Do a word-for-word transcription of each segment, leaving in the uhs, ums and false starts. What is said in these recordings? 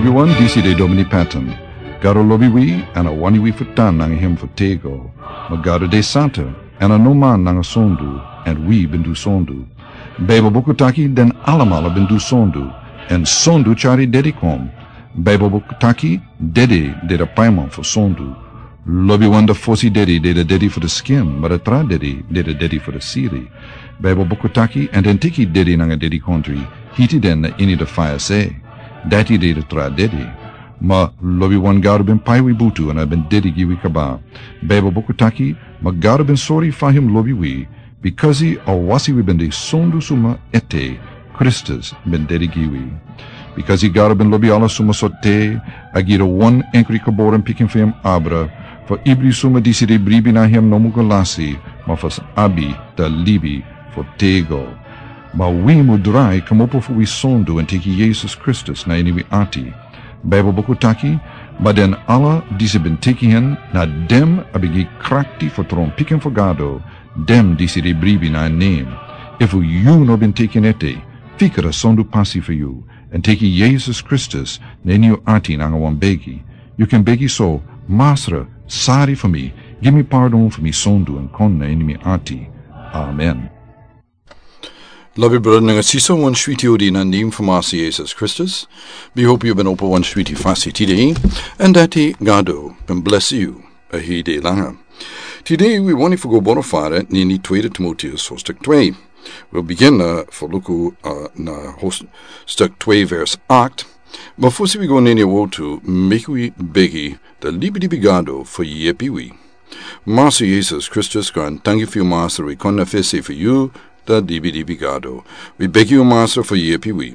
Wi wan disi de Domini Patton. Gado lobi wi, èn a wani wi fu tan nanga hem fu tego. Ma Gado de santa, èn a no man nanga sondu, èn wi ben du sondu. Baibel buku taki den alamala ben du sondu, èn sondu tyari dedi kon. Baibel buku taki dede de de paiman fu sondu. Lobi wan de fosi dedi de de dedi fu de skin, ma de tra dedi de de dedi fu de siri. Baibel buku taki èn den teki dedi nanga dedi kontri, hiti den na ini de faya se. Dati de de tra dedi. Ma lobi wan Gado ben pai wi butu èn a ben dedi gi wi kaba. Baibel buku taki, ma Gado ben sori fa hem lobi wi, bikasi a wasi wi ben de sondu suma ete, Kristus ben dedi gi wi. Bikasi Gado ben lobi ala suma so te, a gi de wan enkri kaboren pikin fu hem abra, fu ibri suma disi de bribi na hem no mu go lasi, ma fu abi de libi fu tego. Ma wi mu drai kmopo fu wi sondu èn teki Yesus Kristus na ini wi ati. Baibel buku taki, ma den ala disi ben teki hen, na dem a ben gi krakti fu tron pikin fu Gado, dem disi de bribi na en nem. Efu yu no ben teki en ete, fika de sondu pasi fu yu, èn teki Yesus Kristus na ini yu ati nanga wan begi. Yu kan begi so, Masra, sari fu mi, gi mi pardon fu mi sondu èn kon na ini mi ati. Amen. Lobi brada nanga sisa, wan switi odi na nem fu Masra Yesus Kristus. Mi hopi yu ben opo wan switi fasi tide, èn dati Gado ben blesi yu a hei de langa. Tide wi wani fu go boro fara na ini tweede Timoteus hostuk twee. Wi bigin na fu luku, uh, na hostuk twee vers acht. Ma fosi wi go na ini a wortu, meki wi begi de libi dibi Gado fu yepi wi. Masra Yesus Kristus, kon tangi fu yu Masra, wi kon na fesi fu yu, de libi dibi Gado. Wi begi yu Masra fu yepi wi.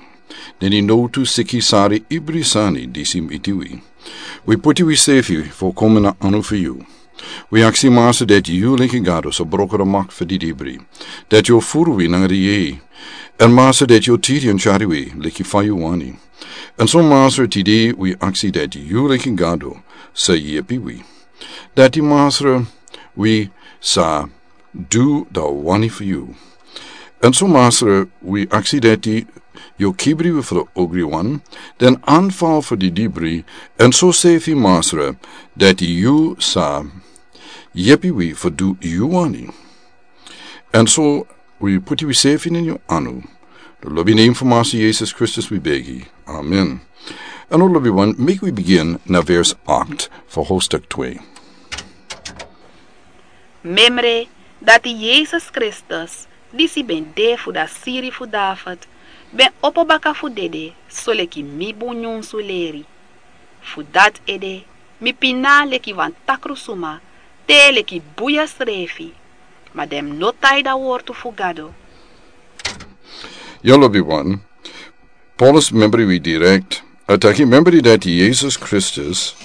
Na ini nowtu, siki, sari, ibri sani disi miti wi. Wi puti wi sefi fu kon na anu fu yu. Wi aksi Masra dati yu leki Gado sa broko de mak fu didibri. Dati yu o furu wi nanga de yeye. Èn Masra dati yu o tiri èn tyari wi leki fa yu wani. Èn so Masra tide wi aksi dati yu leki Gado sa yepi wi. Dati Masra wi sa du de wani fu yu. Èn so Masra wi aksi dati yu o kibri wi fu de ogri wan, den anval fu didibri, èn so sefi Masra dati yu sa yepi wi fu du yu wani. Èn so wi puti wi sefi na ini yu anu. Lobi nem fu Masra Yesus Kristus wi begi. Amen. Èn lobi wan, meki wi bigin na vers acht fu hostuk twee. Memre dati Yesus Kristus, disi ben de fu de siri fu David, ben opo baka fu dede, soleki mi bun nyunsu leri. Fu dati ede, mi pina leki wan takru suma, te leki buya srefi, ma den no tai de wortu fu Gado. Yu lobi wan, Paulus membri wi direkt. A taki membri dati Yesus Kristus,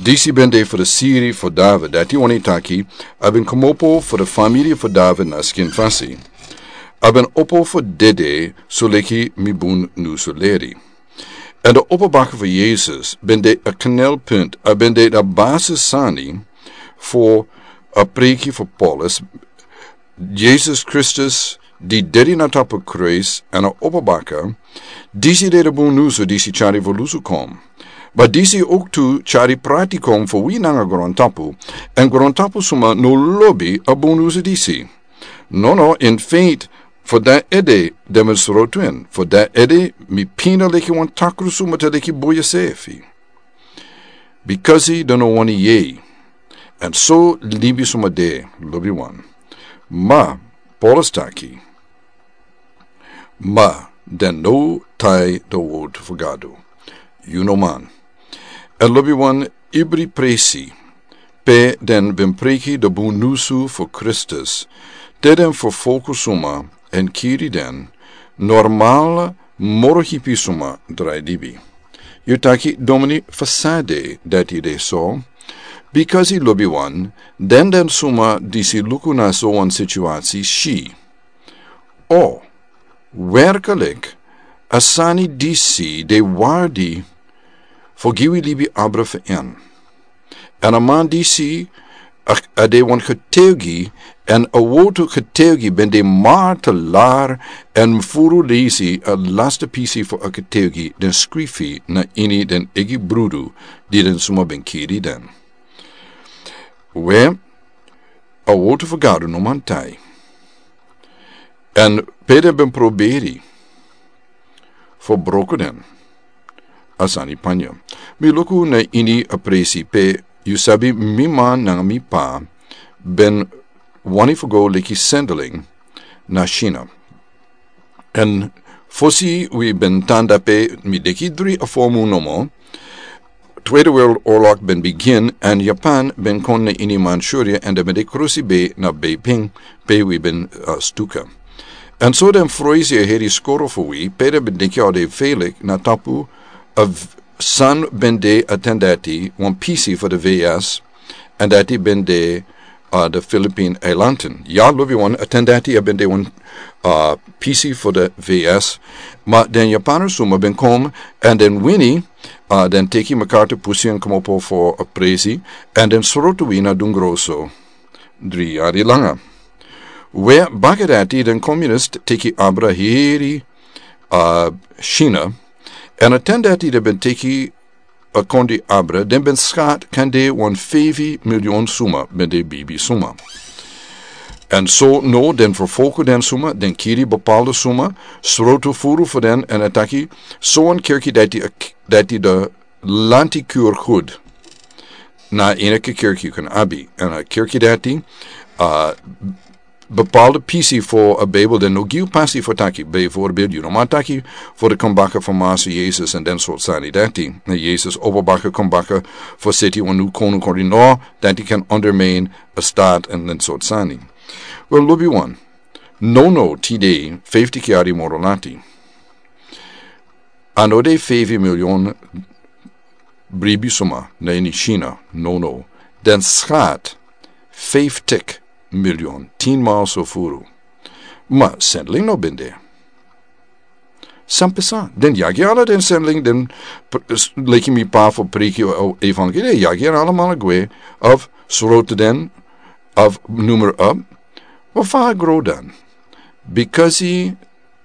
disi ben de fu de siri fu David, dati wani taki, a ben kmopo fu de famiri fu David na skin fasi. A ben opo fu dede, soleki mi bun nyunsu leri. Èn de opo baka fu Yesus ben de a knelpunt, a ben de de basis sani fu a preiki fu Paulus. Yesus Kristus, di dedi na tapu kruis èn a opo baka, disi de de bun nyunsu disi tyari fu lusu kon. Ma disi owktu tyari prati kon fu wi nanga grontapu, èn grontapu suma no lobi a bun nyunsu disi. Nono, in feit, fu dati ede den ben srotu en, fu dati ede mi pina leki wan takru suma te leki buya sefi. Bikasi den no wani yei. Èn so libi suma de, lobi wan. Ma, Paulus taki, ma den no tai de wortu fu Gado. Yu no man. Èn lobi wan, ibri presi, pe den ben preiki de bun nyunsu fu Kristus, te den fu folku suma èn kiri den, normal moro hipi suma drai libi. Yu taki, Domini, fu san dati de so? Bikasi lobi wan, den den suma disi luku na so wan situasi si. O, werklik, a sani disi de wardi fu gi wi libi abra fu en. Èn a man disi A de wan getuigi, en a wotu getuigi ben de martelaar, en furu leisi a laste pisi fu a getuigi den skrifi na ini den egi brudu di den suma ben kiri den. We a wotu fu gado no man tai. En pe den ben proberi fu broko den a sani panya. Mi luku na ini a presi pe yu sabi mi man nanga mi pa ben wani fu go leki sendeling na China. En fosi wi ben tan dape mi deki dri a fomu nomo. Tweede Wereldoorlog ben begin en Japan ben kon na ini Manchuria en den ben de krusi be na Beiping pe wi ben stuka. En so den froisi a heri skoro fu wi pe den ben denki a de felik na tapu a san ben de a ten dati wan pisi fu de V S. En dati ben de de Filipin eilanten ya lubi wan a ten dati a ben de wan pisi fu de V S. Ma den Japaner suma ben kom en den wini, den teki MacArthur pusi en komopo fu a presi, en den srotu wi na dungroso dri yari langa. We baka dati den komunist teki abra heri China. En a ten dati den ben teki a kondi abra den ben skat kan de wan feifi milyon suma ben de bibi suma. En so no den verfolku den suma den kiri bepaalde suma, srotu furu fu den en a taki so wan kirki dati de lanti kur hud. Na enike kirki yu kan abi en a kirki dati bepaalde pisi fu a Bijbel den no gi yu pasi fu taki bijvoorbeeld yu no man taki fu de kon baka fu Master Jesus en den sort sani dati na Jesus opo baka kon baka fu seti wan nu konu kori no dati kan undermine a staat en den sort sani. Wel lubi wan no no tide fifty kiari moro lati. A no de feifi milyon bribi suma na ini China no no. Den skat fifty milyon tin mal so furu. Ma sendling no ben de. San pesa den yagi ala den sendling den leki mi pa fu priki o evangeli yagi en alamala gwe of srote den of numero up. Wa fa gro dan? Bikasi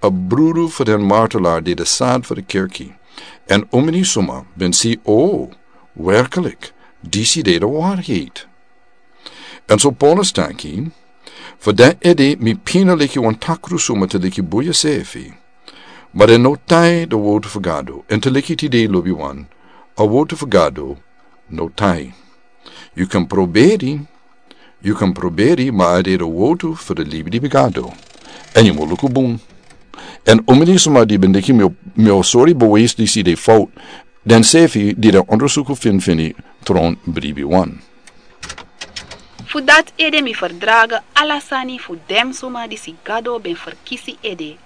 a brudu fu den martelaar di de sad fu de kirki. En umini suma ben si o werkelik disi de de warheid. En so Paulus taki fu den ede mi pina leki wan takru suma te leki buya sefi. Ma den no tai de wotu fu Gado en te leki tide lubi wan a wotu fu Gado no tai. Yu kan proberi yu kan proberi ma a de de wotu fu de libi di bigado. En yu mo luku bun. En umini suma di ben deki mi o sori beweis disi de fout. Den sefi di den ondersuku finfini tron bribi wan. Fu dati ede mi ferdrage ala sani fu den suma disi Gado ben ferkisi ede,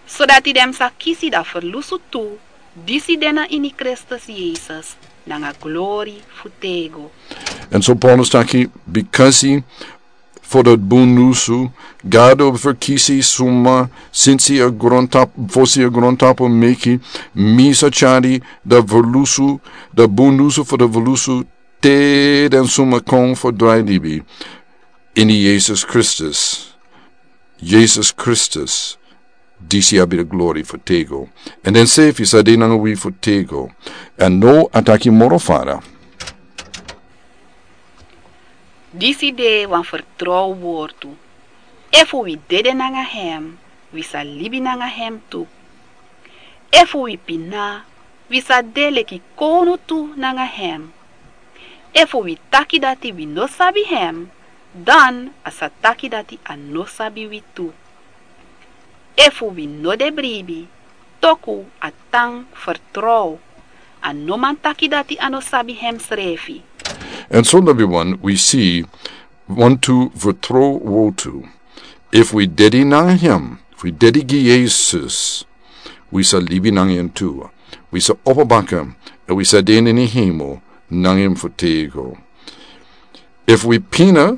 sodati den sa kisi dan ferlusu tu disi de na ini Kristus Yesus nanga glori fu tego. En so Paulus taki bikasi fu dat bun nusu Gado ferkisi suma sinsi a grontapu fosi a grontapu meki mi sa tyari dat ferlusu dat bun nusu fu dat ferlusu te den suma kon fu drai libi ini Yesus Kristus. Yesus Kristus disi abi de glori fu tego. En den sefi sa de nanga wi fu tego. En no a taki moro fara. Disi de wan fertrow wortu. Efu wi dede nanga hem wi sa libi nanga hem tu. Efu wi pina wi sa de leki kownu tu nanga hem. Efu wi taki dati wi no sabi hem dan a sa taki dati a no sabi wi tu. Efu wi no de bribi toku a tan fertrow a no man taki dati a no sabi hem srefi. En so lobi wan wi si wantu fertrow wotu. Efu wi dedi nanga hem fu wi dedi gi Yesus wi sa libi nanga en tu. Wi sa opo baka en wi sa de na ini hemel nanga en fu tego. Efu wi pina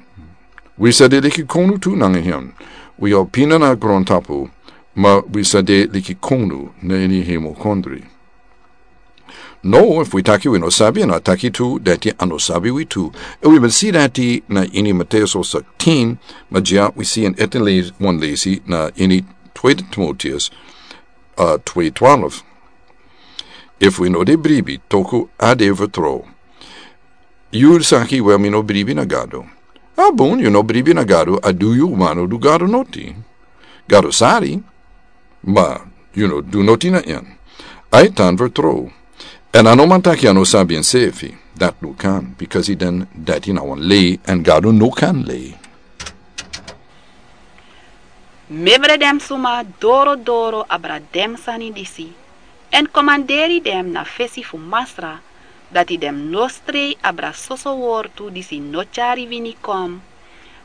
wi sa de leki konu tu nanga en. Wi o pina na grontapu ma wi sa de leki konu na ini hemel kondri. No, efu wi taki wi no sabi, en a taki tu dati a no sabi wi tu. Efu wi ben si dati na ini Mateus hoofdstuk tin, ma dya wi si en ete leisi, wan leisi na ini tweede Timoteus, uh, twee twaalf. Efu wi no de bribi, toku a de vertrouw. Yu saki wel mi no bribi na Gado. A bun, yu no bribi na Gado, a du yu, ma no du Gado noti. Gado sari, ma yu no du noti na en. A e tan vertrouw. En a no man taki a no sabi ensefi. Dati no kan, bikasi den dati na wan lei, en Gado no kan lei. Memre den suma doro doro abra den sani disi, en komanderi den na fesi fu Masra, dati den no strei abra soso wortu disi no tyari wini kon,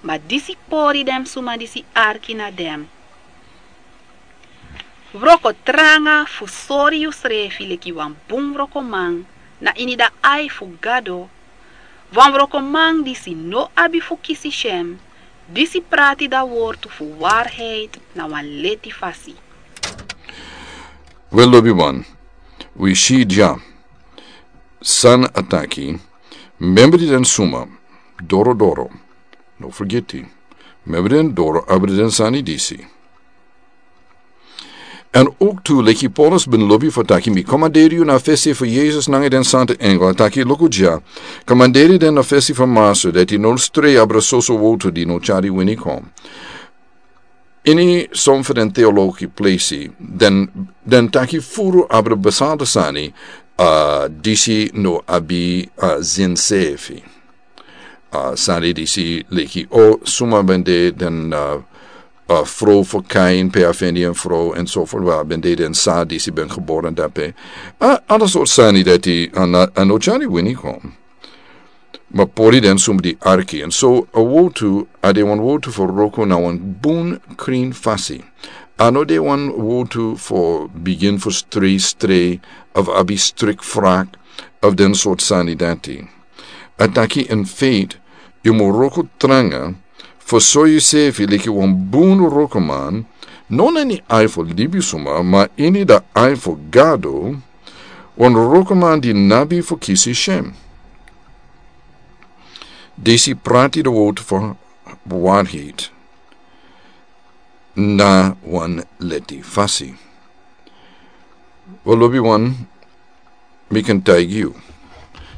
ma disi pori den suma disi arki na den. Wroko tranga fu sori yusrefi leki wan bun wrokoman na ini da ai fu Gado, wan wrokoman disi no abi fu kisi syen, disi prati da wortu fu waarheid na wan leti fasi. Wel, lobiwan, wi si dya san a taki, memre den suma doro doro, no fergiti, memre den doro abra den sani disi. En ook tu, leki Paulus ben lobi fu taki, mi komanderi yu na fesi fu Yesus nanga den santa engel, taki, luku dya, komanderi den na fesi fu Masra, dati no strei abra soso wortu di no tyari wini kon. Ini son fu den teologi pleisi, den, den taki furu abra besanta sani, uh, disi no abi, uh, zinsefi. Uh, sani disi leki, o, suma ben de den, uh, uh, fro fu Kain, pe a feni en fro, en so voort, wa ben de den sa disi ben geboren dape. Uh, ala sort sani dati, uh, na, uh, no tyari wini kon. Ma pori den suma di arki. En so a wortu, a de wan wortu fu wroko na wan bun krin fasi. A no de wan wortu fu bigin fu strei strei, of abi strik frak, of den sort sani dati. A taki in feite, yu mu wroko tranga, fu sori yusefi leki wan bun wrokoman, no na ini ai fu libisuma, ma ini da ai fu Gado, wan wrokoman di no abi fu kisi syen. Disi prati da wortu fu waarheid na wan leti fasi. Wel, lobiwan, mi kan taigi yu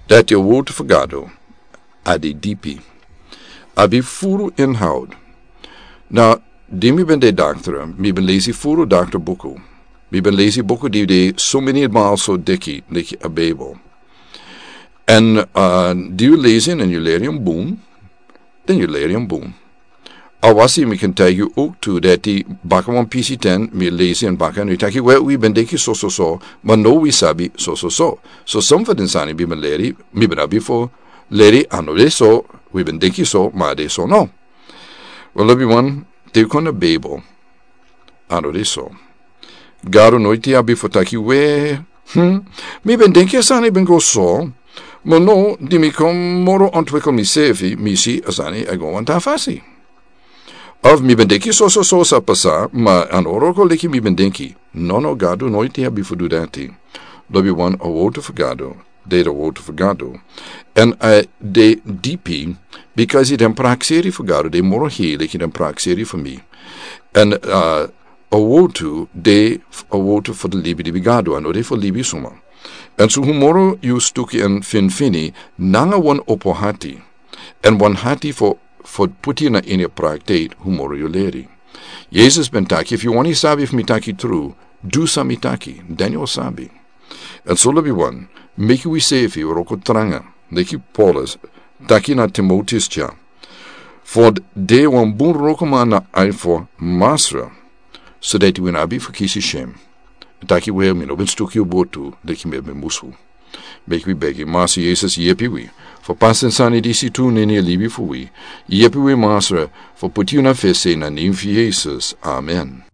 dati a wortu fu Gado a de dipi. A abi furu inhoud. Na, di mi ben de daktra, mi ben lesi furu daktra buku. Mi ben lesi buku di de sumini mal so deki, leki a Bijbel. En, uh, di yu lesi en, en yu leri en bun, dan yu leri en bun. Awasi mi kan taigi yu ook tu dati baka wan pisi ten, mi lesi en baka, en wi taki, wel, wi ben denki so, so, so, ma no wi sabi so, so, so. So, son fu den sani mi ben leri, mi ben abi fu leri, a no de so, wi ben denki so, ma a de so no. Wel, lobiwan, te yu kon na Bijbel, a no de so. Gado noiti abi fu taki, we, hmm, mi ben denki a sani ben go so, ma no, di mi kon moro ontwikkel misefi, mi si a sani e go wan tra fasi. Of mi ben denki so, so, so sa pasa, ma a no wroko leki mi ben denki. No, no, Gado noiti abi fu du dati. Lobiwan, a wortu fu Gado de a wortu fu Gado. En a de dipi, bikasi den prakseri fu Gado de moro hei leki den prakseri fu mi. En, uh, a wortu de a wortu fu den libilibi Gado, a no de fu libisuma. En so hu moro yu stuki en finfini, nanga wan opo hati, en wan hati fu, fu puti na ini praktijk, hu moro yu leri. Yesus ben taki, efu yu wani sabi efu mi taki tru, du san mi taki, dan yu o sabi. En so, lobiwan, meki wisefi wroko tranga, leki Paulus taki na Timoteus dya. Fu de wan bun wrokoman na ai fu Masra, so dati wi no abi fu kisi syen. Taki, wel, mi no ben stuki yu botu, leki mi ben musu. Meki wi begi, Masra Yesus, yepi wi fu pasa den sani disi tu na ini a libi fu wi. Yepi wi, Masra, fu puti yu na fesi, na nen fu Yesus. Amen.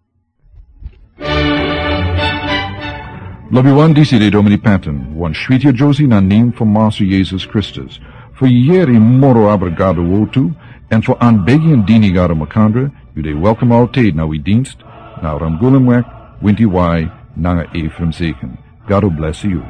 Lobiwan, disi de Domini Patton, wan switi yere na nen fu Masra Yesus Kristus. Fu yere moro abra Gado wortu, en fu anbegi en dini Gado makandra, yu de welkom altijd na wi dienst, na Ramgulemweg, Winti Wai, nanga Ephraim Zeken. Gado blesi yu.